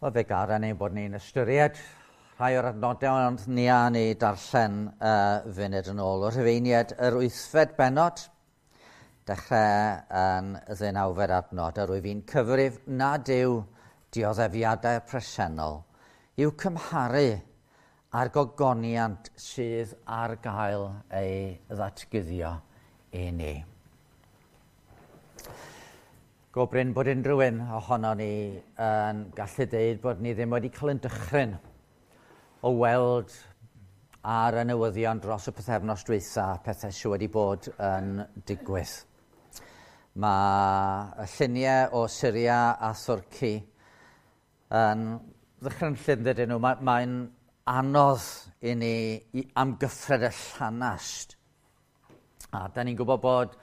Wel, fe garen ein bod ni'n ystyried rhai o'r adnodau, ond ni a ni darllen funud yn ôl. O'r Rhufeiniaid, yr wythfed bennod, dechrau yn y ddeunawfed adnod, a rwyf fi'n cyfrif nad yw dioddefiadau presennol i'w cymharu â'r gogoniant sydd ar gael ei ddatguddio i ni. Go brin bod unrhyw un ohono ni yn gallu deud bod ni ddim wedi cael yn dychryn o weld ar y newyddion dros y pythefnos dwytha pethau sydd wedi bod yn digwydd. Mae y lluniau o Syria a Thwrci yn ddychrynllyd, yn dydyn nhw. Mae'n anodd i ni i amgyffred y llanast. A da ni'n gwybod bod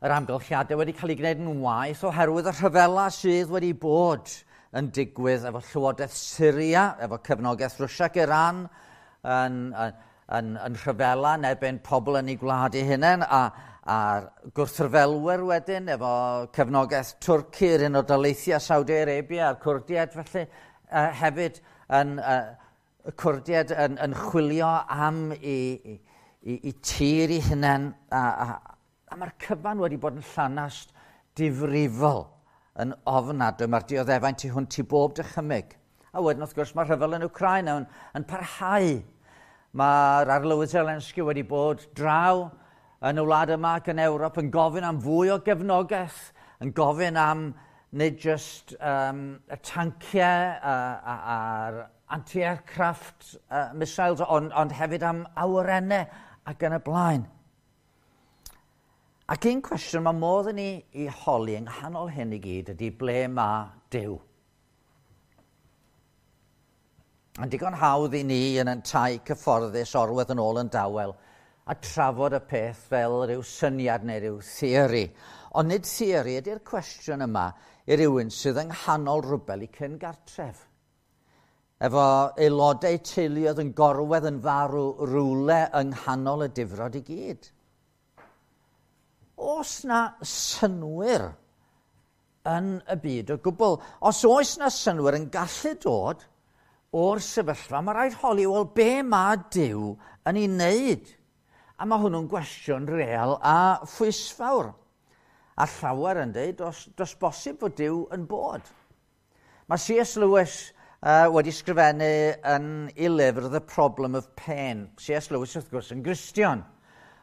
yr amgylchiadau wedi cael ei gwneud yn waeth oherwydd y rhyfela sydd wedi bod yn digwydd efo Llywodraeth Syria, efo cefnogaeth Rwsia ac Iran, yn rhyfela yn erbyn pobl yn ei gwlad ei hunain, a'r gwrthryfelwyr wedyn efo cefnogaeth Twrci, yr Unol Daleithiau, Saudi Arabia a'r Cwrdiaid felly hefyd yn, y Cwrdiaid yn chwilio am i tir i hunain, a mae'r cyfan wedi bod yn llanast difrifol yn ofnadwy. Mae'r dioddefaint tu hwnt i bob dychymyg. A wedyn, wrth gwrs, mae'r rhyfel yn Wcráin yn parhau. Mae'r arlywydd Zelensky wedi bod draw yn y wlad yma ac yn Ewrop yn gofyn am fwy o gefnogaeth, yn gofyn am nid just y tanciau a'r anti-aircraft missiles, ond hefyd am awyrennau ac yn y blaen. Ac un cwestiwn mae modd i ni i holi yng nghanol hyn i gyd ydy ble mae Duw? Yn digon hawdd i ni yn ein tai cyfforddus orwedd yn ôl yn dawel a trafod y peth fel rhyw syniad neu rhyw theori. Ond nid theori ydy'r cwestiwn yma i rywun sydd yng nghanol rwbel i cyn gartref. Efo aelodau teuluoedd yn gorwedd yn farw rywle yng nghanol y difrod i gyd. Oes na synwyr yn y byd o gwbl? Os oes na synwyr yn gallu dod o'r sefyllfa, mae rhaid holi, wel, be mae Duw yn ei wneud? A mae hwnnw'n gwestiwn real a phwysfawr. A llawer yn dweud, does bosib fod Duw yn bod. Mae C.S. Lewis wedi sgrifennu yn ei lyfr The Problem of Pain. C.S. Lewis, wrth gwrs, yn Gristion.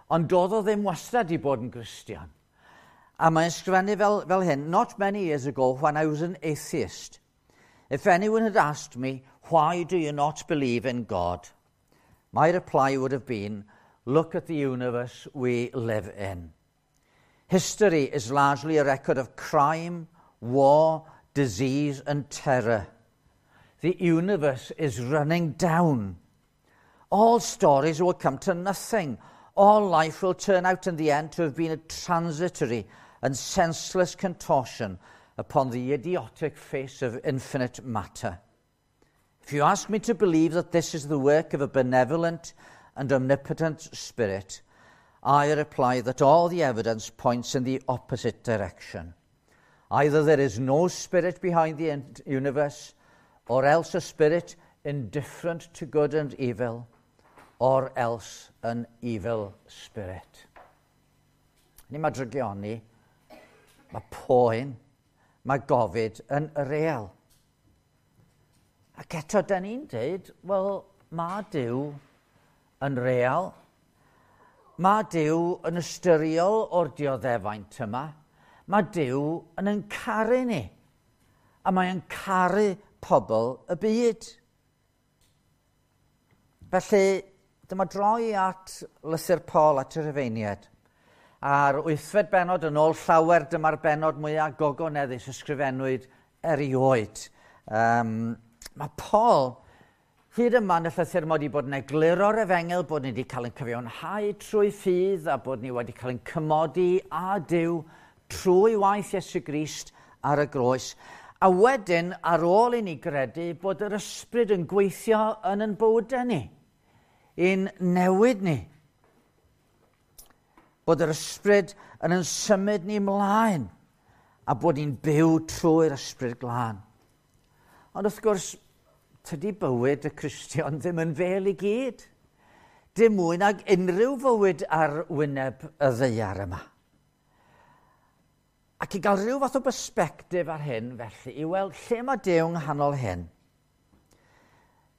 Ond doedd o ddim wastad i bod yn Gristion. A mae'n sgrifennu fel hyn: "Not many years ago, when I was an atheist, if anyone had asked me, 'Why do you not believe in God?' my reply would have been, 'Look at the universe we live in. History is largely a record of crime, war, disease and terror. The universe is running down. All stories will come to nothing. All life will turn out in the end to have been a transitory and senseless contortion upon the idiotic face of infinite matter. If you ask me to believe that this is the work of a benevolent and omnipotent spirit, I reply that all the evidence points in the opposite direction. Either there is no spirit behind the universe, or else a spirit indifferent to good and evil, or else an evil spirit." Ni mae drygioni, mae poen, mae gofid yn real. Ac eto, da ni'n dweud, wel, mae Duw yn real. Mae Duw yn ystyriol o'r dioddefaint yma. Mae Duw yn caru ni. A mae'n caru pobl y byd. Felly, dyma droi at lythyr Paul at y Rhufeiniaid. A'r wythfed bennod, yn ôl llawer, dyma'r bennod mwyaf gogoneddus ysgrifennwyd erioed. Mae Paul, hyd yma yn y llythyr, mod i bod yn egluro'r efengyl, bod ni wedi cael ein cyfiawnhau trwy ffydd a bod ni wedi cael ein cymodi â Duw trwy waith Iesu Grist ar y groes. A wedyn, ar ôl i ni gredu, bod yr ysbryd yn gweithio yn ein bywydau ni, i'n newid ni. Bod yr ysbryd yn symud ni mlaen a bod ni'n byw trwy'r Ysbryd Glân. Ond wrth gwrs, tydi bywyd y Cristion ddim yn fel i gyd. Dim mwy nag unrhyw fywyd ar wyneb y ddaear yma. Ac i gael rhyw fath o bersbectif ar hyn, felly, i weld lle mae Duw yng nghanol hyn,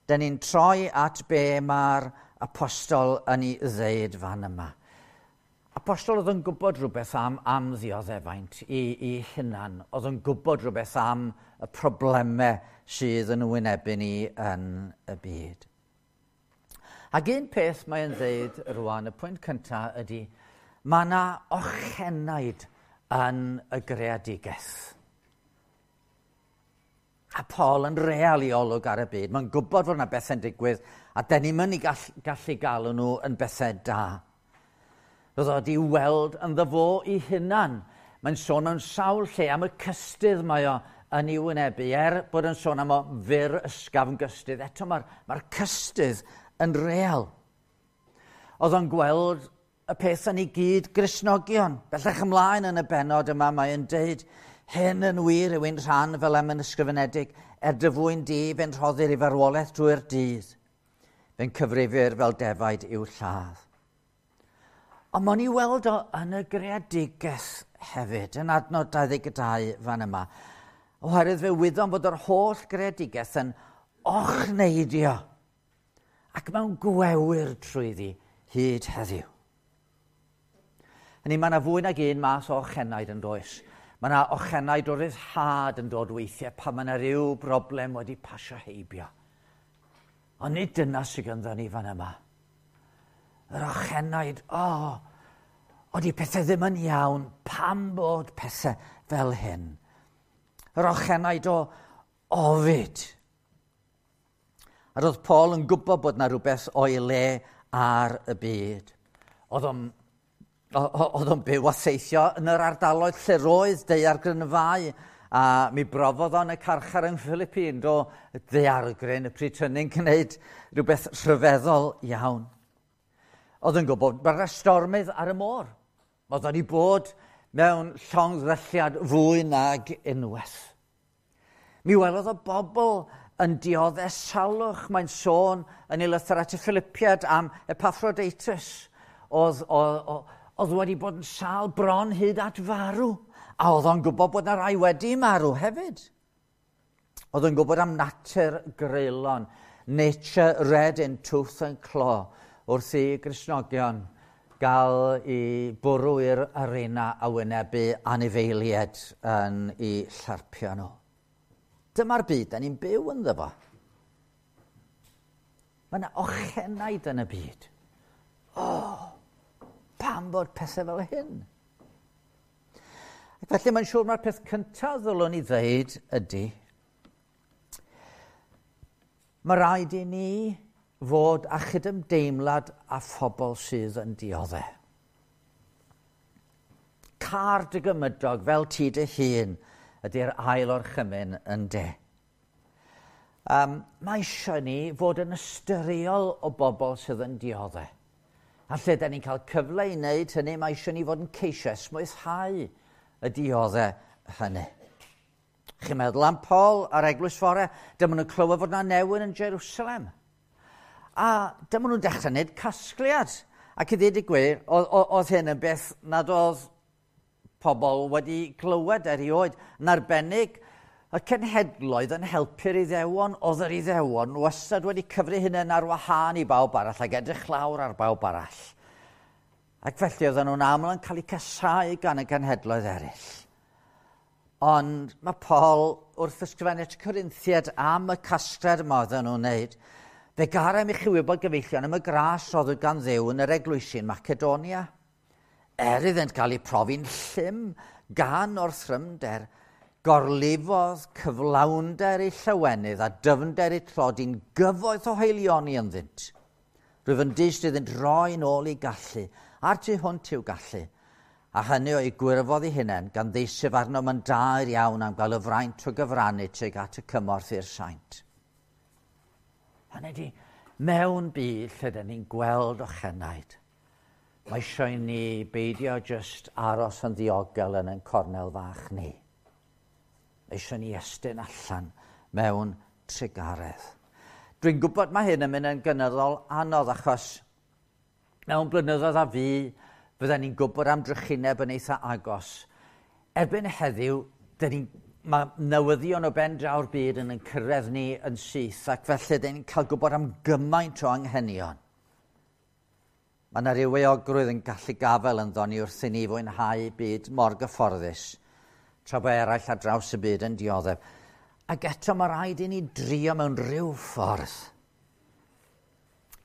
dyn ni'n troi at be mae'r apostol yn ei ddeud fan yma. Apostol oedd yn gwybod rhywbeth am ddioddefaint i hunan, oedd yn gwybod rhywbeth am y problemau sydd yn wynebu ni yn y byd. Ac un peth mae'n ddeud rwan, y pwynt cyntaf ydy, mae yna ochenaid yn y greadigaeth. A Paul yn real i olwg ar y byd. Mae'n gwybod fod yna bethau'n digwydd, a dyn ni'n mynd i gallu galw nhw yn bethau da. Roedd o wedi weld ynddo fo i hunan. Mae'n sôn mewn sawl lle am y cystudd mae o yn ei wynebu. Er bod yn sôn am o fyr ysgafn gystudd, eto mae'r cystudd yn real. Oedd o'n gweld y peth yn ei gyd Gristnogion. Bellach ymlaen yn y bennod yma mae'n deud, hyn yn wir yw ein rhan fel am yn ysgrifenedig, er dy fwyn di fe'n rhoddir i farwolaeth drwy'r dydd. Fe'n cyfrifir fel defaid i'w lladd. Ond mae'n i weld o yn y greadigaeth hefyd, yn adnod 22 fan yma. Oherwydd fe wyddom fod yr holl greadigaeth yn ochneidio ac mewn gwewyr trwyddi hyd heddiw. Hynny, mae yna fwy nag un math o ochenaid yn does. Mae yna ochenaid o ryddhad yn dod weithiau pan mae yna ryw broblem wedi pasio heibio. Ond nid dyna sydd ganddo ni fan yma. Yr ochenaid, oeddi pethau ddim yn iawn, pam bod pethau fel hyn? Yr ochenaid o ofid. A roedd Paul yn gwybod bod yna rhywbeth o'i le ar y byd. Oedd o'n byw a theithio yn yr ardaloedd lle roedd daeargrynfâu, a mi brofodd o'n y carchar yng Philippines, do daeargryn y pryd hynny'n gwneud rhywbeth rhyfeddol iawn. Oedd yn gwybod bod yna stormydd ar y môr. Oedd o'n i bod mewn llongddrylliad fwy nag unwaith. Mi welodd o bobl yn dioddef salwch. Mae'n sôn yn ei lythyr at y Philippiad am Epaphroditus. Oedd wedi bod yn sâl bron hyd at farw. A oedd o'n gwybod bod yna rai wedi marw hefyd. Oedd o'n gwybod am natur greulon. Nature red in tooth and claw. Wrth i Gristnogion gael i bwrw i'r arena a wynebu anifeiliaid yn ei llarpio nhw. Dyma'r byd da ni'n byw ynddo fo. Mae yna ochenaid yn y byd. Pam bod pethau fel hyn? Ac felly mae'n siŵr mae'r peth cyntaf ddylwn i ddeud ydy, mae rhaid i ni fod â chydymdeimlad â phobl sydd yn dioddef. Car dy gymydog fel ti dy hun ydy'r ail orchymyn yn de. Mae eisiau ni fod yn ystyriol o bobl sydd yn dioddef. A lle da ni'n cael cyfle i wneud hynny, mae eisiau ni fod yn ceisio esmwythau y dioddef hynny. Chi'n meddwl am Paul a'r eglwys fore, dyma nhw'n clywed fod yna newyn yn Jerusalem. A dyma nhw'n dechrau wneud casgliad. Ac i ddweud y gwir, oedd hyn yn beth nad oedd pobl wedi clywed erioed. Yn arbennig, y cenhedloedd yn helpu'r Iddewon, oedd yr Iddewon wastad wedi cyfri hunain ar wahân i bawb arall ac edrych lawr ar bawb arall. Ac felly oedden nhw'n aml yn cael eu casáu gan y cenhedloedd eraill. Ond mae Paul wrth ysgrifennu at y Corinthiaid am y casgliad yma oedden nhw'n wneud, fe garem i chi wybod gyfeillion am y gras roddwyd gan Dduw yn yr eglwysi yn Macedonia. Er iddynt gael eu profi'n llym gan orthrymder, gorlifodd cyflawnder eu llawenydd a dyfnder eu tlodi'n gyfoeth o haelioni ynddynt. Rwyf yn dyst iddynt roi nôl i gallu, a'r tu hwnt i'w gallu, a hynny o'i gwirfodd eu hunain gan ddeisyf arnom yn daer iawn am gael y fraint o gyfrannu tuag at y cymorth i'r saint. Hynny ydi, mewn byd lle dyn ni'n gweld ochenaid, mae eisiau i ni beidio jyst aros yn ddiogel yn ein cornel fach ni. Mae eisiau ni estyn allan mewn trugaredd. Dwi'n gwybod mae hyn yn mynd yn gynyddol anodd achos mewn blynyddoedd a fu, fydden ni'n gwybod am drychineb yn eitha agos. Erbyn heddiw, mae newyddion o ben draw'r byd yn cyrraedd ni yn syth, ac felly dyn ni'n cael gwybod am gymaint o anghenion. Mae yna ryw euogrwydd yn gallu gafael ynddo ni wrth i ni fwynhau byd mor gyfforddus, tra bod eraill ar draws y byd yn dioddef. Ac eto mae rhaid i ni drio mewn rhyw ffordd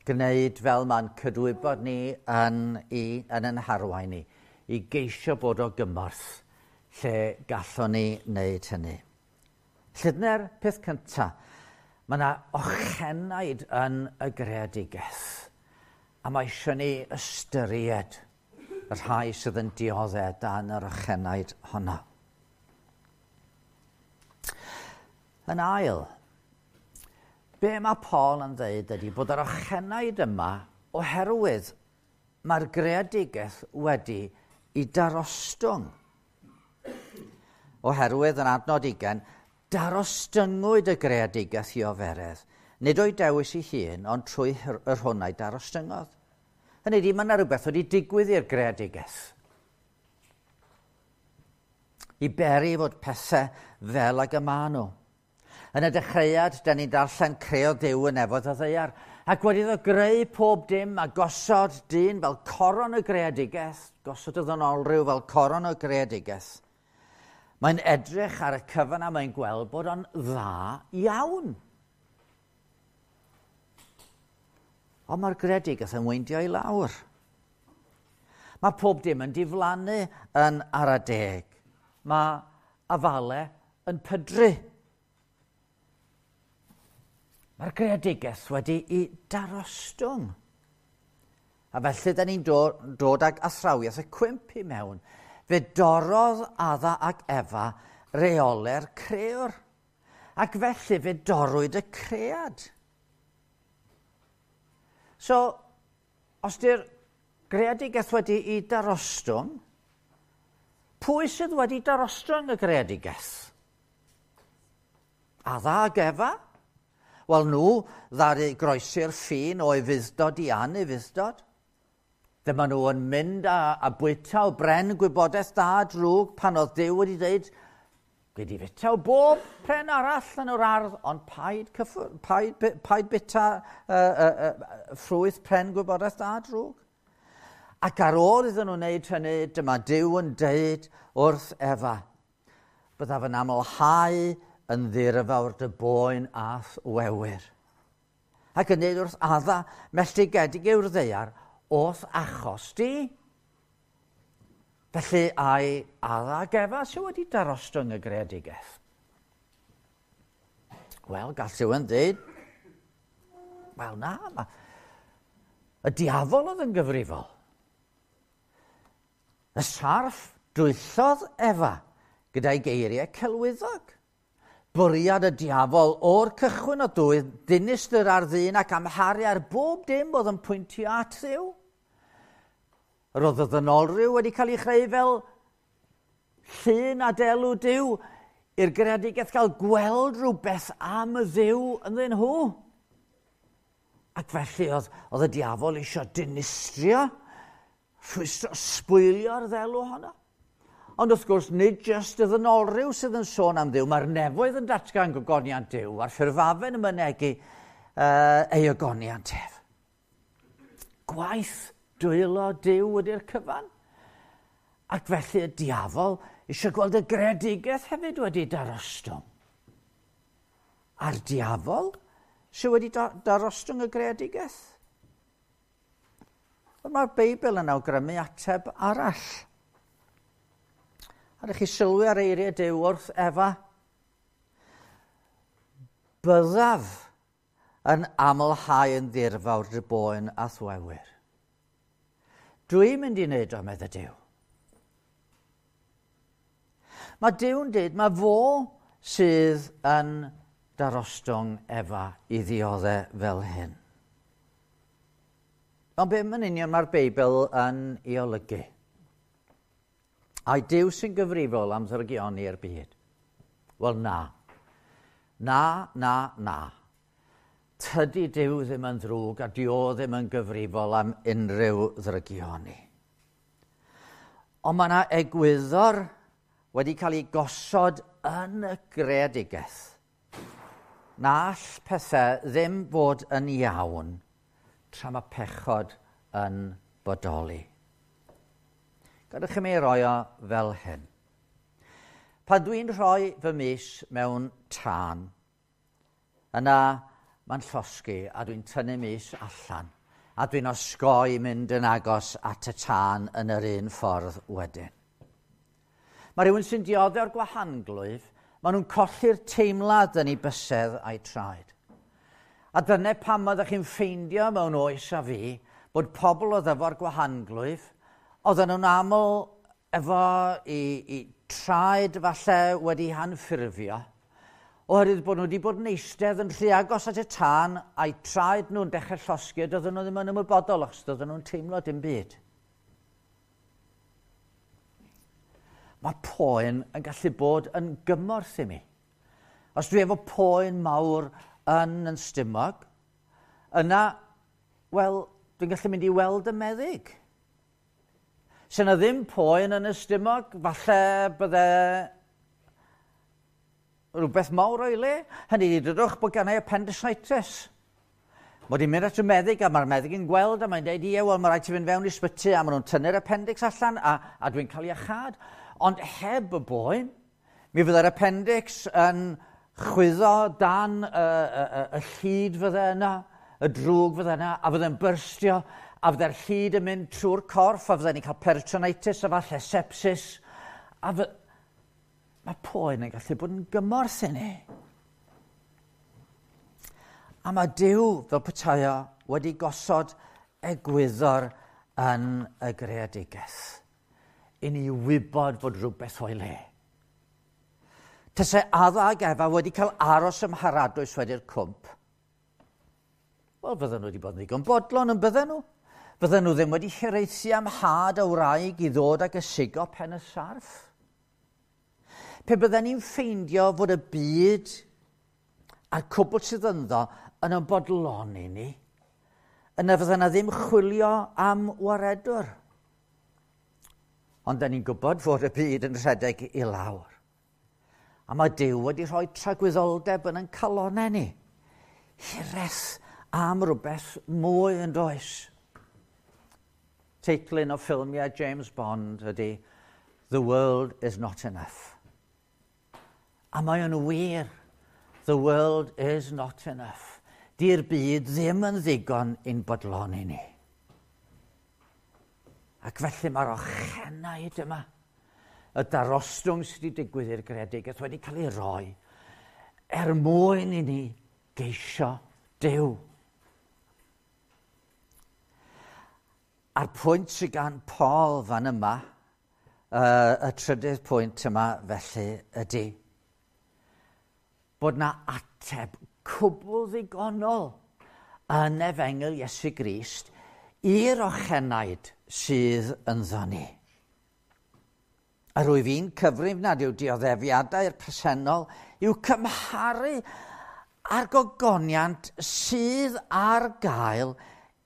gwneud fel mae'n cydwybod ni yn yn harwain ni, i geisio bod o gymorth lle gallwn ni wneud hynny. Lly dyna'r peth cyntaf. Mae yna ochenaid yn y greadigaeth. A mae eisiau ni ystyried y rhai sydd yn dioddef dan yr ochenaid honno. Yn ail, be mae Paul yn dweud ydy bod yr ochenaid yma oherwydd mae'r greadigaeth wedi i darostwng. Oherwydd yn adnod 20, darostyngwyd y greadigaeth i oferedd. Nid o'i dewis ei hun, ond trwy yr hwn a'i darostyngodd. Hynny ydy, mae yna rhywbeth wedi digwydd i'r greadigaeth. I beri fod pethau fel ag y maen nhw. Yn y dechreuad, da ni'n darllen creodd Duw y nefoedd a ddaear, ac wedi iddo greu pob dim a gosod dyn fel coron y greadigaeth, gosod y ddynolryw fel coron y greadigaeth. Mae'n edrych ar y cyfan a mae'n gweld bod o'n dda iawn. Ond mae'r greadigaeth yn weindio i lawr. Mae pob dim yn diflannu yn ara deg. Mae afalau yn pydru. Mae'r greadigaeth wedi i darostwng. A felly, da ni'n dod ag athrawiaeth y cwymp i mewn. Fe dorrodd Adda ac Efa reolau'r crëwr. Ac felly fe dorrwyd y cread. So, os di'r greadigaeth wedi i darostwng, pwy sydd wedi darostwng y greadigaeth? Adda ac Efa? Wel, nhw ddaru groesi'r ffin o ufudd-dod i anufudd-dod. Dyma nhw yn mynd a bwyta o bren gwybodaeth da a drwg pan oedd Duw wedi dweud, gei di fwyta o bob pren arall yn yr ardd, ond paid bwyta ffrwyth pren gwybodaeth da a drwg. Ac ar ôl iddyn nhw wneud hynny, dyma Duw yn deud wrth Efa, byddaf yn amlhau yn ddirfawr dy boen a'th wewyr. Ac yn dweud wrth Adda, melltigedig yw'r ddaear, o'th achos di. Felly, ai Adda ac Efa sydd wedi darostwng y greadigaeth? Wel, gall rhywun dweud, wel na, y diafol oedd yn gyfrifol. Y sarff dwyllodd Efa gyda'i geiriau celwyddog. Bwriad y diafol o'r cychwyn o dwydd dinistr ar ddyn ac amharu ar bob dim oedd yn pwyntio at Dduw. Yr oedd y ddynolryw wedi cael ei chreu fel llun a delw Duw i'r greadigaeth gael gweld rhywbeth am y Dduw ynddyn nhw. Ac felly oedd y diafol eisiau dinistrio, rhwystro, sbwylio'r ddelw honno. Ond wrth gwrs, nid jyst y ddynolryw sydd yn sôn am Dduw, mae'r nefoedd yn datgan gogoniant Duw, a'r ffurfafen yn mynegi ei ogoniant ef. Gwaith dwylo Duw ydy'r cyfan. Ac felly y diafol eisiau gweld y greadigaeth hefyd wedi darostwng. A'r diafol sydd wedi darostwng y greadigaeth? Wel, mae'r Beibl yn awgrymu ateb arall. A ydych chi sylwi ar eiriau Duw wrth Efa? Byddaf yn amlhau yn ddirfawr dy boen a'th wewyr. Dwi'n mynd i wneud o, medde Duw. Mae Duw'n dweud, mae fo sydd yn darostwng Efa i ddioddef fel hyn. Ond be yn union mae'r Beibl yn ei olygu? Ai Duw sy'n gyfrifol am ddrygioni i'r byd? Wel na. Na, na, na. Tydi Duw ddim yn ddrwg a dio ddim yn gyfrifol am unrhyw ddrygioni. Ond mae yna egwyddor wedi cael ei gosod yn y greadigaeth. Na all pethau ddim fod yn iawn tra mae pechod yn bodoli. Gadewch i mi roi o fel hyn. Pan dwi'n rhoi fy mis mewn tân, yna mae'n llosgi a dwi'n tynnu mis allan a dwi'n osgoi mynd yn agos at y tân yn yr un ffordd wedyn. Mae rhywun sy'n dioddef o'r gwahanglwyf, maen nhw'n colli'r teimlad yn eu bysedd a'i traed. A dyna pam oeddech chi'n ffeindio mewn oes a fi bod pobl oedd efo'r gwahanglwyf, oedden nhw'n aml efo i traed falle wedi hanffurfio, oherwydd bod nhw wedi bod yn eistedd yn rhy agos at y tân a'i traed nhw'n dechrau llosgi a doedden nhw ddim yn ymwybodol achos doedden nhw'n teimlo dim byd. Mae poen yn gallu bod yn gymorth i mi. Os dwi efo poen mawr yn yn stumog, yna, wel, dwi'n gallu mynd i weld y meddyg. Se yna ddim poen yn y stumog, falle bydde rhywbeth mawr o'i le. Hynny ydi, dydwch bod gennau appendicitis. Mod i'n mynd at y meddyg a mae'r meddyg yn gweld a mae'n dweud, ie, wel, mae rhaid ti fynd fewn i sbyty a maen nhw'n tynnu'r appendix allan a dwi'n cael iachâd. Ond heb y boen, mi fydde'r appendix yn chwyddo dan y, y, y, y llid fydde yna, y drwg fydde yna, a fydde'n byrstio, a fydde'r llid yn mynd trwy'r corff, a fydde'n cael peritonitis a falle sepsis. A fy... Mae poen yn gallu bod yn gymorth i ni. A mae Duw, fel petai o, wedi gosod egwyddor yn y greadigaeth. I ni wybod fod rhywbeth o'i le. Tase Adda ac Efa wedi cael aros ym Mharadwys wedi'r cwmp, wel, fydden nhw wedi bod yn ddigon bodlon yn bydden nhw. Fydden nhw ddim wedi hiraethu am had y wraig i ddod ag ysigo pen y sarff. Pe bydden ni'n ffeindio fod y byd a'r cwbl sydd ynddo yn ein bodloni ni, yna fydden na ddim chwilio am waredwr. Ond da ni'n gwybod fod y byd yn rhedeg i lawr. A mae Duw wedi rhoi tragwyddoldeb yn ein calonau ni. Hiraeth am rhywbeth mwy yn does. Teitl un o ffilmiau James Bond ydy The World is Not Enough. A mae o'n wir. The world is not enough. Di'r byd ddim yn ddigon i'n bodloni ni. Ac felly mae'r ochenaid yma, y darostwng sydd wedi digwydd i'r greadigaeth wedi cael ei roi er mwyn i ni geisio Duw. A'r pwynt sydd gan Paul fan yma, y trydydd pwynt yma felly ydy, bod na ateb cwbl ddigonol yn Efengyl Iesu Grist i'r ochenaid sydd ynddo ni. A rwyf i'n cyfrif nad yw dioddefiadau'r presennol i'w cymharu â'r gogoniant sydd ar gael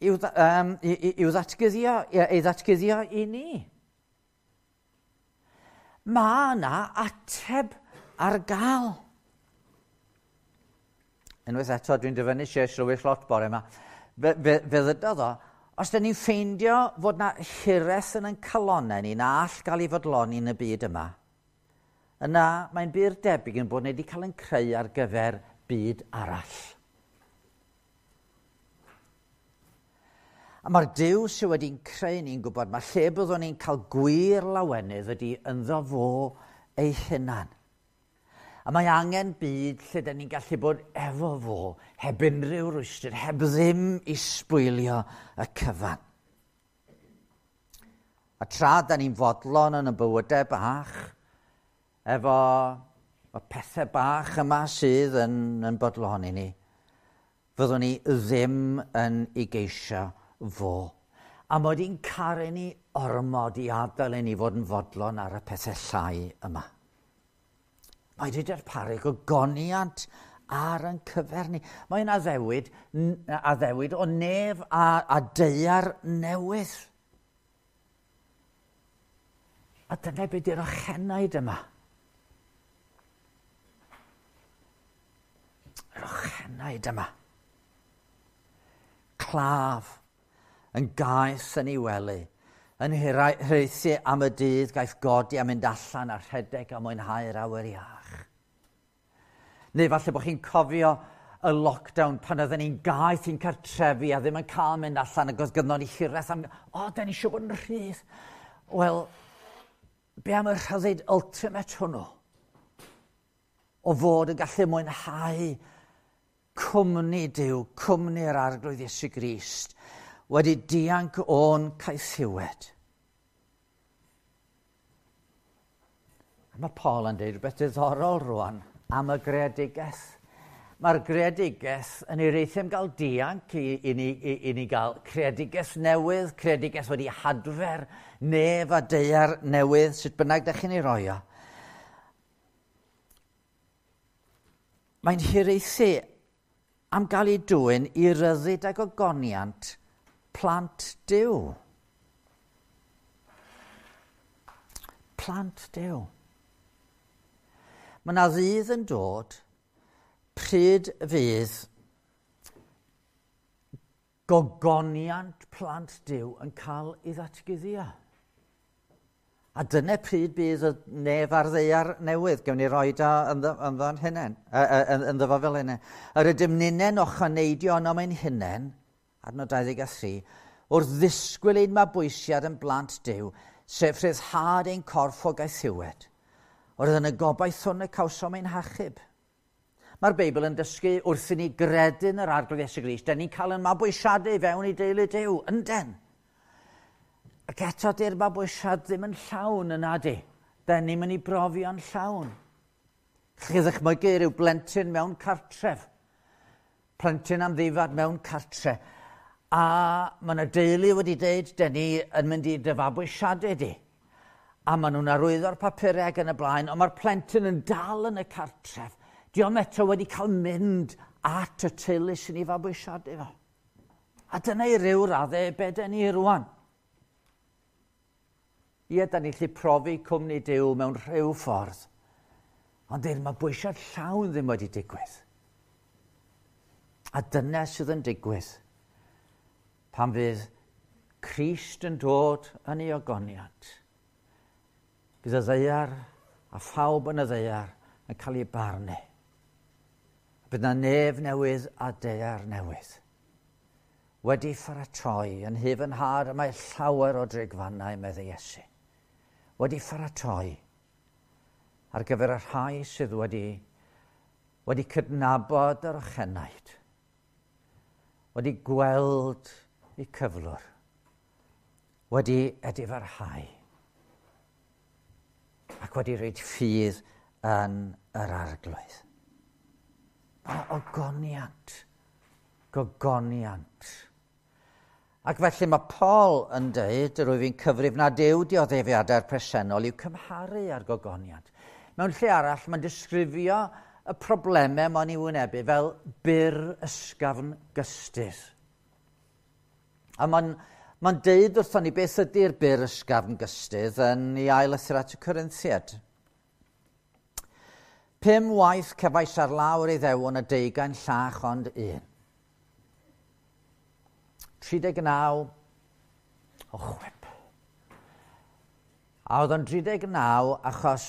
i'w, um, i'w ddatguddio, ei ddatguddio i ni. Mae yna ateb ar gael. Unwaith eto, dwi'n dyfynnu C.S. Lewis lot bore yma. Fe, fe, fe ddydodd o, os dyn ni'n ffeindio fod na hiraeth yn ein calonau ni na all gael ei fodloni yn y byd yma, yna mae'n bur debyg yn bod ni wedi cael ein creu ar gyfer byd arall. A mae'r Duw sydd wedi'n creu ni'n gwybod mae lle byddwn ni'n cael gwir lawenydd ydy ynddo fo ei hunan. A mae angen byd lle dyn ni'n gallu bod efo fo, heb unrhyw rwystr, heb ddim i sbwylio y cyfan. A tra da ni'n fodlon yn y bywydau bach, efo y pethau bach yma sydd yn, yn bodloni ni, fyddwn ni ddim yn ei geisio fo. A mod i'n caru ni ormod i adael i ni fod yn fodlon ar y pethau llai yma. Mae wedi darparu gogoniant ar yn cyfer ni. Mae'n addewid o nef a daear newydd. A dyna beth yw'r ochenaid yma. Yr ochenaid yma. Claf yn gaeth yn ei wely, yn hiraethu am y dydd gaiff godi a mynd allan a rhedeg a mwynhau'r awyr iach. Neu falle bod chi'n cofio y lockdown pan oedden ni'n gaeth i'n cartrefi a ddim yn cael mynd allan ac oedd gynnon ni hiraeth am, o, da ni eisiau bod yn rhydd. Wel, be am y rhyddid ultimate hwnnw? O fod yn gallu mwynhau cwmni Duw, cwmni'r Arglwydd Iesu Grist, wedi dianc o'n caethiwed. A mae Paul yn dweud rhywbeth diddorol rwan am y greadigaeth. Mae'r greadigaeth yn ei reithio am gael dianc i ni gael creadigaeth newydd, creadigaeth wedi hadfer, nef a daear newydd, sut bynnag da chi'n ei roi o. Mae'n hiraethu am gael ei dwyn i ryddid ac ogoniant plant Duw. Plant Duw. Mae yna ddydd yn dod pryd fydd gogoniant plant Duw yn cael ei ddatguddio. A dyna pryd bydd y nef a'r ddaear newydd. Gewn ni roi da ynddo'n hunain, ynddo fo fel hynny. Yr ydym ninnen ochaneidio yno ein hunain, adnod 23, wrth ddisgwyl ein mabwysiad yn blant Duw, sef rhyddhad ein corff o gaethiwed. Oedd yn y gobaith hwn y cawsom ein hachub. Mae'r Beibl yn dysgu wrth i ni gredu yn yr Arglwydd Iesu Grist, da ni'n cael ein mabwysiadu fewn i deulu Duw, ynden. Ac eto di'r mabwysiad ddim yn llawn yna di. Da ni'n mynd i brofio'n llawn. Chi ddychmygu rhyw blentyn mewn cartref. Plentyn amddifad mewn cartre. A mae yna deulu wedi deud, da ni yn mynd i dy fabwysiadu di. A maen nhw'n arwyddo'r papurau ac yn y blaen, ond mae'r plentyn yn dal yn y cartref. Dio'm eto wedi cael mynd at y teulu sy'n ei fabwysiadu fo. A dyna i ryw raddau be da ni rwan. Ie, da ni'n gallu profi cwmni Duw mewn rhyw ffordd. Ond dyw'r mabwysiad llawn ddim wedi digwydd. A dyna sydd yn digwydd pan fydd Crist yn dod yn ei ogoniant. Bydd y ddaear a phawb yn y ddaear yn cael ei barnu. Bydd yna nef newydd a daear newydd. Wedi pharatoi yn hyf yn nhad, mae llawer o drigfannau, meddai Iesu. Wedi pharatoi ar gyfer y rhai sydd wedi cydnabod yr ochenaid, wedi gweld eu cyflwr, wedi edifarhau ac wedi rhoi ffydd yn yr Arglwydd. Mae ogoniant, gogoniant. Ac felly mae Paul yn dweud, rwyf fi'n cyfrif nad yw dioddefiadau'r presennol i'w cymharu â'r gogoniant. Mewn lle arall, mae'n disgrifio y problemau mae'n ei wynebu fel byr ysgafn gystudd. A mae'n deud wrthon ni beth ydy'r byr ysgafn gystudd yn ei ail lythyr at y Corinthiaid. 5 waith cefais ar lawr ei ddewon a 20 llach ond un. 39 o chwip. A oedd o'n 39 achos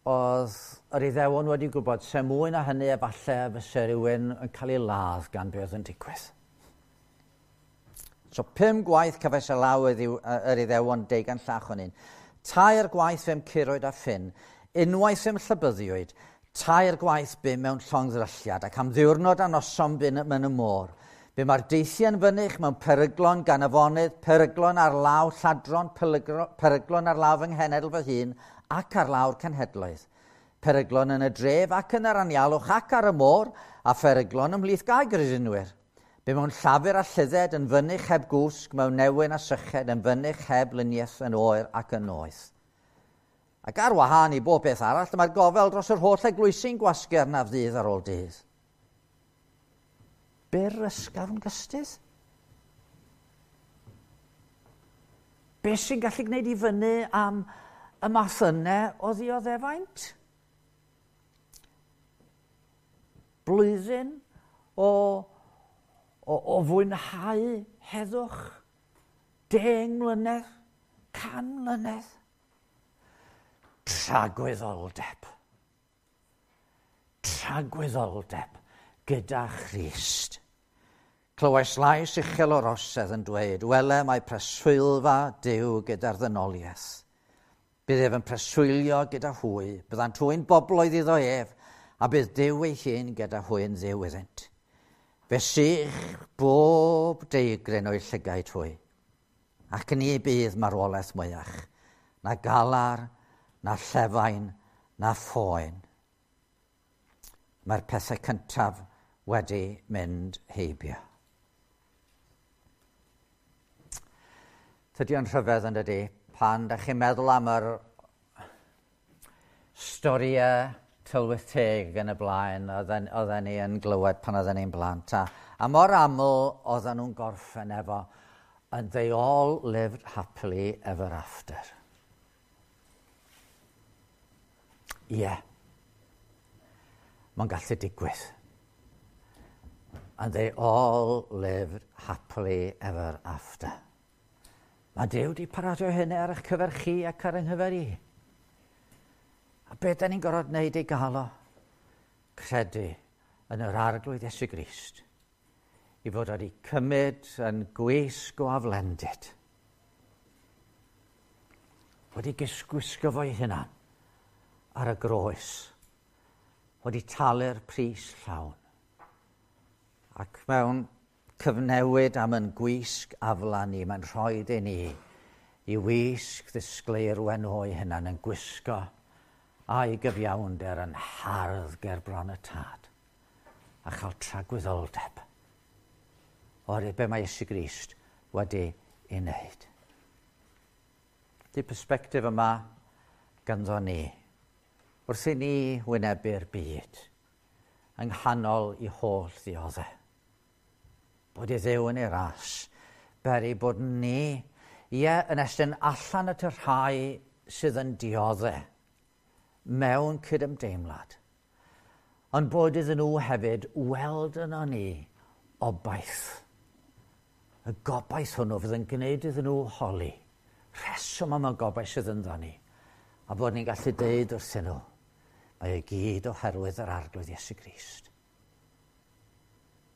oedd yr Iddewon wedi gwybod se mwy na hynny efallai fyse rhywun yn cael ei ladd gan be oedd yn digwydd. So 5 gwaith cefais ar law yr Iddewon 20 llach o'n un. 3 gwaith fe'm curwyd a ffyn, unwaith fe'm llybyddiwyd, 3 gwaith bum mewn llongddrylliad ac am ddiwrnod a noson bum yn y môr. Bum ar deithiau yn fynych mewn peryglon gan afonydd, peryglon ar law lladron, peryglon ar law fy nghenedl fy hun ac ar lawr cenhedloedd. Peryglon yn y dref ac yn yr anialwch ac ar y môr, a pheryglon ymhlith gaergredinwyr. Bum mewn llafur a llydded yn fynych heb gwsg, mewn newyn a syched, yn fynych heb luniaeth yn oer ac yn noeth. Ac ar wahân i bob beth arall, dyma'r gofel dros yr holl eglwysi'n gwasgu arnaf ddydd ar ôl dydd. Byr ysgafn gystydd? Be sy'n gallu gwneud i fyny am y math yna o ddioddefaint? Blwyddyn o fwynhau heddwch? 10 mlynedd? 100 mlynedd? Tragwyddoldeb. Tragwyddoldeb gyda Christ. Clywais lais uchel o'r orsedd yn dweud, wele mae preswylfa Duw gyda'r ddynoliaeth. Bydd ef yn preswylio gyda hwy, byddant hwy'n bobloedd iddo ef, a bydd Duw ei hun gyda hwy'n Dduw iddynt. Fe sych bob deigryn o'i llygaid hwy, ac ni bydd marwolaeth mwyach, na galar, na llefain, na phoen. Mae'r pethau cyntaf wedi mynd heibio. Tydi o'n rhyfedd yn dydi, pan da chi'n meddwl am yr storïau tylwyth teg yn y blaen oedden ni yn glywed pan oedden ni'n blant. A mor aml oedden nhw'n gorffen efo "And they all lived happily ever after." Ie. Yeah. Mae'n gallu digwydd. And they all lived happily ever after. Mae Duw wedi paratoi hynny ar eich cyfer chi ac ar yng nghyfer i. A beth da ni'n gorfod wneud i gael o? Credu yn yr Arglwydd Iesu Grist. I fod wedi cymryd yn gwisg o aflendid. Wedi gwisgo fo'i hunan ar y groes. Wedi talu'r pris llawn. Ac mewn cyfnewid am yn gwisg aflan ni, mae'n rhoi i ni i wisg ddisgleir wen o'i hunan yn gwisgo a'i gyfiawnder yn hardd ger bron y Tad a chael tragwyddoldeb oherwydd be mae Iesu Grist wedi ei wneud. Di perspectif yma ganddo ni wrth i ni wynebu'r byd yng nghanol i holl ddioddef. Bod i Dduw yn ei ras, beri bod ni, ie, yn estyn allan at y rhai sydd yn dioddef mewn cydymdeimlad, ond bod iddyn nhw hefyd weld yno ni obaith. Y gobaith hwnnw fydd yn gwneud iddyn nhw holi. Rheswm am y gobaith sydd ynddo ni. A bod ni'n gallu deud wrthyn nhw, mae e gyd oherwydd yr Arglwydd Iesu Grist.